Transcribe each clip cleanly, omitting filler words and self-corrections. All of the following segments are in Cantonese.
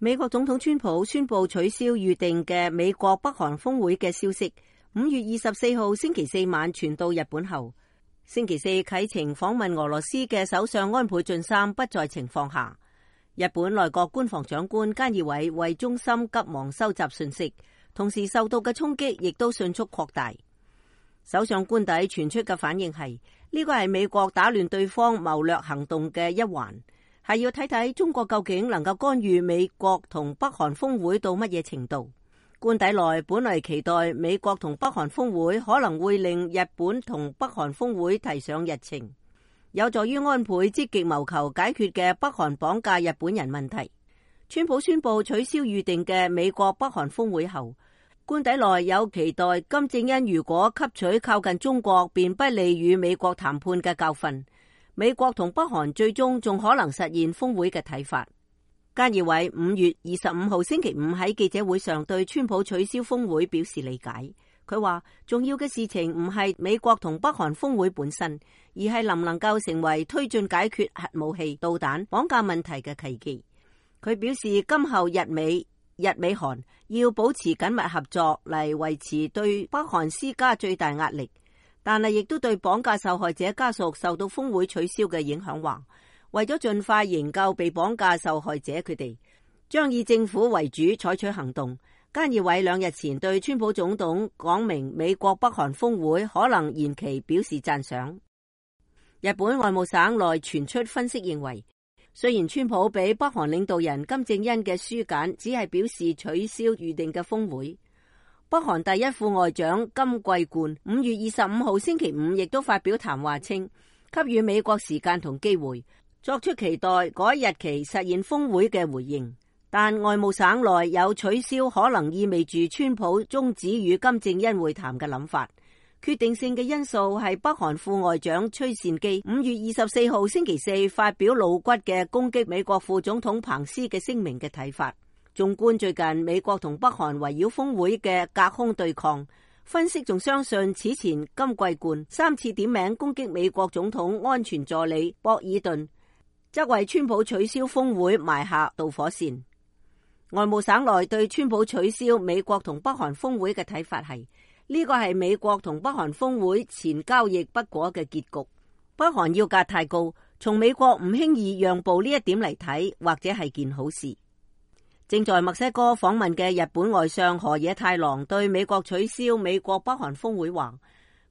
美國總統川普宣布取消預定嘅美國北韓峰會嘅消息，5月24號星期四晚傳到日本後，星期四啟程訪問俄羅斯嘅首相安倍晉三不在情況下，日本內閣官房長官菅義偉為中心急忙收集信息，同時受到嘅衝擊亦都迅速擴大。首相官邸傳出嘅反應係呢個係美國打亂對方謀略行動嘅一環，係要睇睇中國究竟能夠干預美國同北韓峰會到乜嘢程度。官邸內本來期待美國同北韓峰會可能會令日本同北韓峰會提上日程，有助於安倍積極謀求解決嘅北韓綁架日本人問題。川普宣布取消預定嘅美國北韓峰會後，官邸內有期待金正恩如果吸取靠近中國便不利與美國談判嘅教訓，美國同北韓最終仲可能實現峰會嘅睇法。菅義偉5月25號星期五喺記者會上對川普取消峰會表示理解。佢話重要嘅事情唔係美國同北韓峰會本身，而係能唔能夠成為推進解決核武器、導彈、綁架問題嘅契機。佢表示今後日美韓要保持緊密合作嚟維持對北韓施加最大壓力，但係亦都對綁架受害者家屬受到峰會取消嘅影響話，為咗盡快營救被綁架受害者，佢哋將以政府為主採取行動。菅義偉2日前對川普總統講明美國北韓峰會可能延期表示讚賞。日本外務省內傳出分析認為，雖然川普俾北韓領導人金正恩嘅書簡只係表示取消預定嘅峰會，北韓第一副外長金貴冠5月25號星期五亦都發表談話稱，給予美國時間同機會，作出期待改日期實現峰會嘅回應。但外務省內有取消可能意味住川普終止與金正恩會談嘅諗法。決定性嘅因素係北韓副外長崔善基5月24號星期四發表露骨嘅攻擊美國副總統彭斯嘅聲明嘅睇法。縱觀最近美國同北韓圍繞峰會嘅隔空對抗，分析仲相信此前金貴冠3次點名攻擊美國總統安全助理博爾頓，則為川普取消峰會埋下導火線。外務省內對川普取消美國同北韓峰會嘅睇法係，呢個係美國同北韓峰會前交易不果嘅結局。北韓要價太高，從美國唔輕易讓步呢一點嚟睇，或者係件好事。正在墨西哥訪問嘅日本外相河野太郎對美國取消美國北韓峰會話，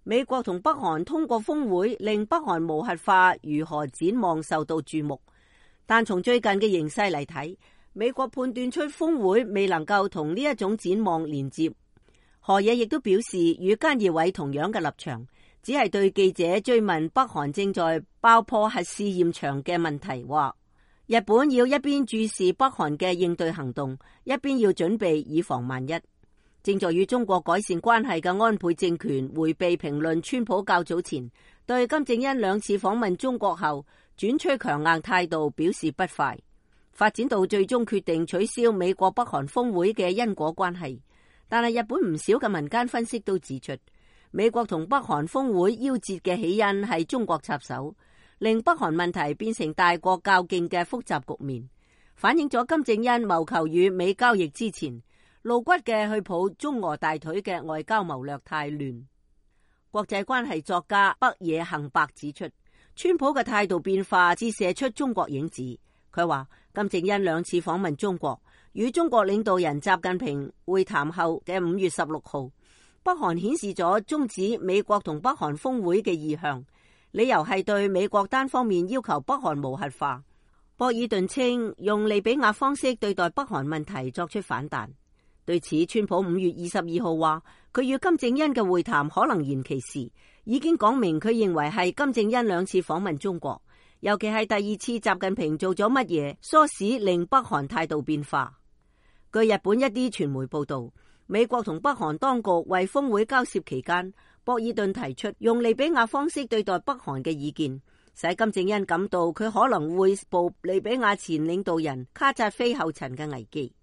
美國同北韓通過峰會令北韓無核化如何展望受到注目，但從最近嘅形勢嚟睇，美國判斷出峰會未能夠同呢一種展望連接。河野亦都表示與菅義偉同樣嘅立場，只係對記者追問北韓正在爆破核試驗場嘅問題話，日本要一邊注視北韓嘅應對行動，一邊要準備以防萬一。正在與中國改善關係嘅安倍政權迴避評論川普較早前對金正恩2次訪問中國後轉趨強硬態度表示不快，發展到最終決定取消美國北韓峰會嘅因果關係。但係日本唔少嘅民間分析都指出，美國同北韓峰會夭折嘅起因係中國插手，令北韓問題變成大國較勁嘅複雜局面，反映咗金正恩謀求與美交易之前露骨嘅去抱中俄大腿嘅外交謀略太亂。國際關係作家北野幸伯指出，川普嘅態度變化折射出中國影子。佢話金正恩2次訪問中國，與中國領導人習近平會談後嘅5月16號，北韓顯示咗終止美國同北韓峰會嘅意向，理由係對美國單方面要求北韓無核化。博爾頓稱用利比亞方式對待北韓問題作出反彈。對此，川普5月22號話，佢與金正恩嘅會談可能延期時，已經講明佢認為係金正恩2次訪問中國，尤其係第2次習近平做咗乜嘢唆使令北韓態度變化。據日本一啲傳媒報道，美國同北韓當局為峰會交涉期間，博爾頓提出用利比亞方式對待北韓嘅意見，使金正恩感到佢可能會步利比亞前領導人卡扎菲後塵嘅危機。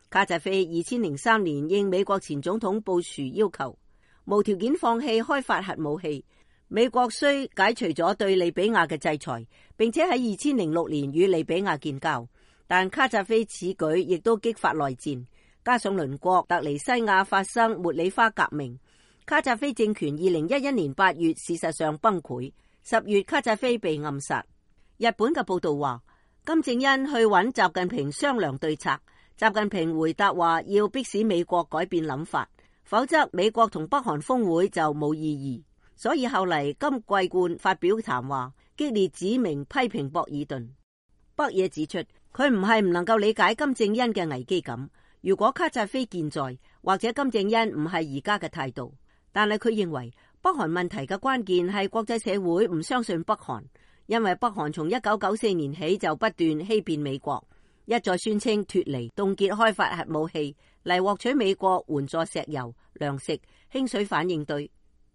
卡扎菲2003年應美國前總統布殊要求，無條件放棄開發核武器，美國雖解除咗對利比亞嘅制裁，並且喺2006年與利比亞建交，但卡扎菲此舉亦都激發內戰，加上鄰國突尼西亞發生茉莉花革命，卡扎菲政權2011年8月事實上崩潰，10月卡扎菲被暗殺。日本嘅報道話，金正恩去揾習近平商量對策，習近平回答話要迫使美國改變諗法，否則美國同北韓峰會就冇意義。所以後嚟金桂冠發表談話，激烈指明批評博爾頓。北野指出，佢唔係唔能夠理解金正恩嘅危機感，如果卡扎菲健在，或者金正恩唔係而家嘅態度，但係佢認為北韓問題嘅關鍵係國際社會唔相信北韓，因為北韓從1994年起就不斷欺騙美國，一再宣稱脫離、凍結開發核武器嚟獲取美國援助石油、糧食、氫水反應堆。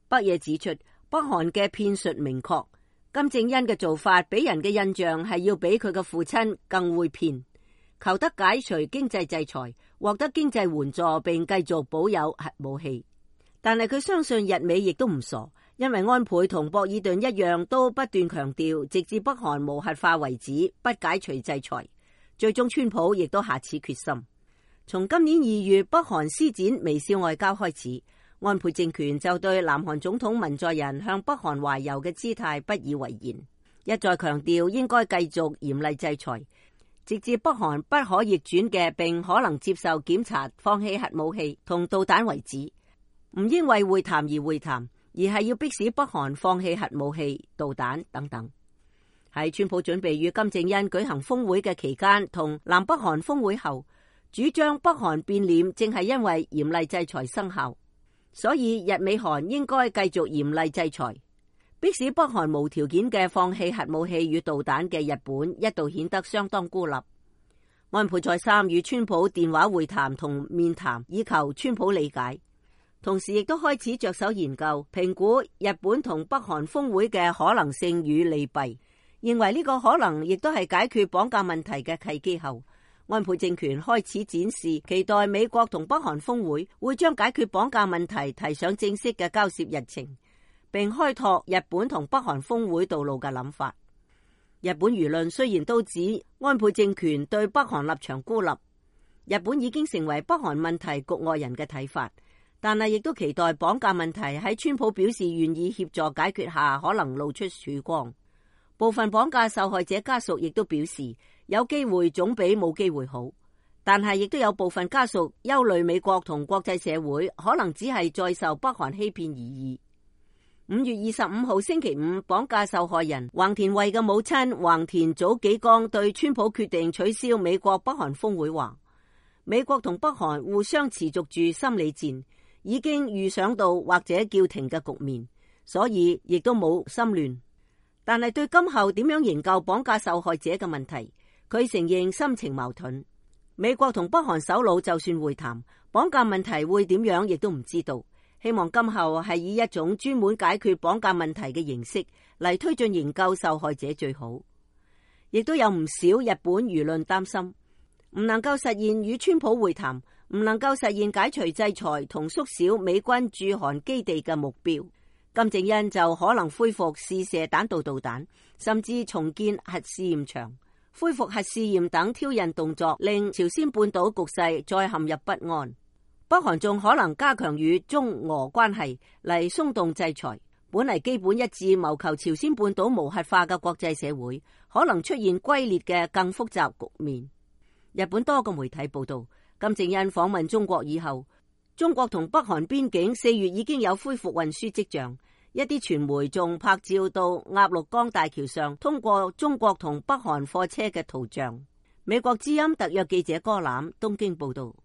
北野指出，北韓嘅騙術明確，金正恩嘅做法俾人嘅印象係要比佢嘅父親更會騙，求得解除經濟制裁，獲得經濟援助並繼續保有核武器。但係佢相信日美亦都唔傻，因為安倍同博爾頓一樣都不斷強調直至北韓無核化為止，不解除制裁。最終川普亦都下此決心。從今年2月北韓施展微笑外交開始，安倍政權就對南韓總統文在寅向北韓懷柔嘅姿態不以為然，一再強調應該繼續嚴厲制裁，直至北韓不可逆轉嘅並可能接受檢查放棄核武器同導彈為止。唔應為會談而會談，而係要迫使北韓放棄核武器、導彈等等。喺川普準備與金正恩舉行峰會嘅期間，同南北韓峰會後，主張北韓變臉正係因為嚴厲制裁生效。所以日美韓應該繼續嚴厲制裁，迫使北韓無條件嘅放棄核武器與導彈嘅日本一度顯得相當孤立。安倍再三與川普電話會談同面談，以求川普理解，同時亦都開始着手研究評估日本同北韓峰會嘅可能性與利弊，認為呢個可能亦都係解決綁架問題嘅契機後，安倍政權開始展示期待美國同北韓峰會會將解決綁架問題提上正式嘅交涉日程，並開拓日本同北韓峰會道路嘅諗法。日本輿論雖然都指安倍政權對北韓立場孤立，日本已經成為北韓問題局外人嘅睇法，但係亦都期待綁架問題喺川普表示願意協助解決下可能露出曙光。部分綁架受害者家屬亦都表示，有機會總比冇機會好，但係亦都有部分家屬憂慮美國同國際社會可能只係再受北韓欺騙而已。5月25號星期五，綁架受害人橫田惠嘅母親橫田早紀江對川普決定取消美國北韓峰會話，美國同北韓互相持續住心理戰，已經預想到或者叫停嘅局面，所以亦都冇心亂。但係對今後點樣營救綁架受害者嘅問題，佢承認心情矛盾。美國同北韓首腦就算會談，綁架問題會點樣亦都唔知道。希望今後係以一種專門解決綁架問題嘅形式嚟推進營救受害者最好。亦都有唔少日本輿論擔心，唔能夠實現與川普會談，唔能夠實現解除制裁同縮小美軍駐韓基地嘅目標，金正恩就可能恢復試射彈道導彈，甚至重建核試驗場，恢復核試驗等挑釁動作，令朝鮮半島局勢再陷入不安。北韓仲可能加強與中俄關係嚟鬆動制裁，本嚟基本一致謀求朝鮮半島無核化嘅國際社會，可能出現龜裂嘅更複雜局面。日本多個媒體報道，金正恩訪問中國以後，中國同北韓邊境4月已經有恢復運輸跡象，一啲傳媒仲拍照到鴨綠江大橋上通過中國同北韓貨車嘅圖像。美國之音特約記者柯攬東京報道。